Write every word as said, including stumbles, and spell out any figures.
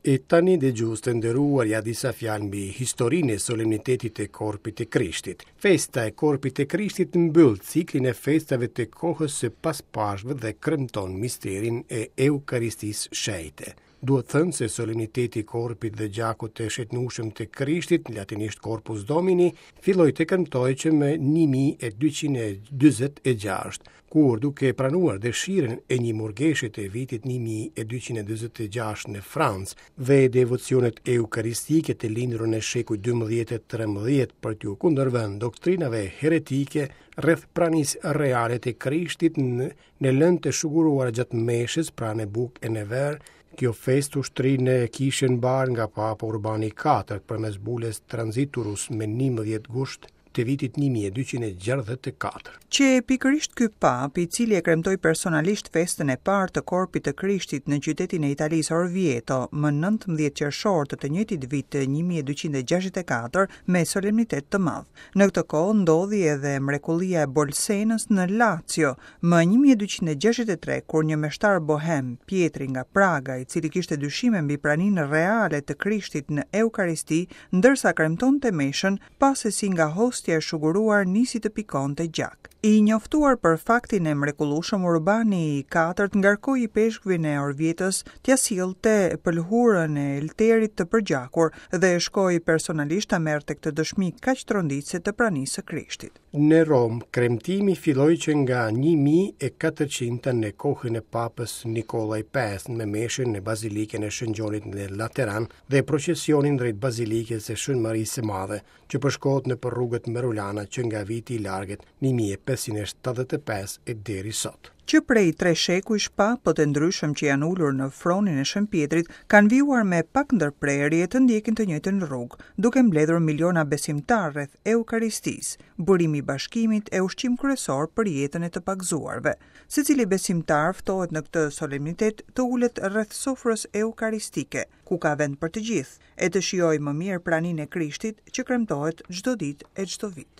E tani, dëgjues të nderuar, ja disa fjalë mbi historinë e solemnitetit të Korpit të Krishtit. Festa e Korpit të Krishtit mbyll ciklin e festave të kohës së paspashkëve dhe kremton misterin e Eukaristisë Shenjte. Duhet thënë se solemniteti i Korpit dhe Gjakut të Shenjtnueshëm të Krishtit, latinisht Corpus Domini, filloi të kremtohej që më një mijë e dyqind e dyzet e gjashtë, kur duke pranuar dëshirën e një murgeshe të vitit një mijë e dyqind e dyzet e gjashtë në Francë dhe devocionet eukaristike të lindura në shekujt dymbëdhjetë e trembëdhjetë për t'u kundërvënë doktrinave heretike rreth pranisë reale të Krishtit në, në lëndë të shuguruar gjatë meshës, pra në bukë e në verë, kjo festë u shtri në kishën mbarë nga Papa Urbani i katërt përmes bulës Transiturus me njëmbëdhjetë gusht të vitit një mijë e dyqind e gjashtëdhjetë e katër. Që pikërisht ky papë, i cili e kremtoi personalisht festën e parë të Korpit të Krishtit në qytetin e Italisë Orvieto më nëntëmbëdhjetë qershor të të njëjtit vit të një mijë e dyqind e gjashtëdhjetë e katër me solemnitet të madh. Në këtë kohë ndodhi edhe mrekullia e Bolsenës në Lazio më një mijë e dyqind e gjashtëdhjetë e tre, kur një meshtar bohem, Pietri nga Praga, i cili kishte dyshime mbi praninë reale të Krishtit në Eukaristi, ndërsa kremtonte meshën, pa se si nga hostia e shuguruar nisi të pikonte gjak. I njoftuar për faktin e mrekullueshëm, Urbani i katërt ngarkoi ipeshkvin e Orvietës t'ia sillte pëlhurën e elterit të përgjakur dhe shkoi personalisht ta merrte këtë dëshmi kaq tronditëse të pranisë së Krishtit. Në Romë, kremtimi filloi që nga një mijë e katërqind në kohën e Papës Nikolla i pestë me meshën në Bazilikën e Shën Gjonit në Lateran dhe procesionin drejt Bazilikës së Shën Marisë së Madhe, që përshkohet nëpër rrugët Merulana që nga viti i largët një mijë e pesëqind e shtatëdhjetë e pesë e deri sot. Që prej tre shekujsh papët e ndryshëm që janë ulur në fronin e Shën Pietrit kanë vijuar me pak ndërprerje të ndjekin të njëjtën rrugë, duke mbledhur miliona besimtarë rreth Eukaristisë, burimi i bashkimit e ushqim kryesor për jetën e të pagëzuarve. Secili besimtar ftohet në këtë solemnitet të ulet rreth sofrës eukaristike, ku ka vend për të gjithë, e të shijojë më mirë praninë e Krishtit që kremtohet çdo ditë e çdo vit.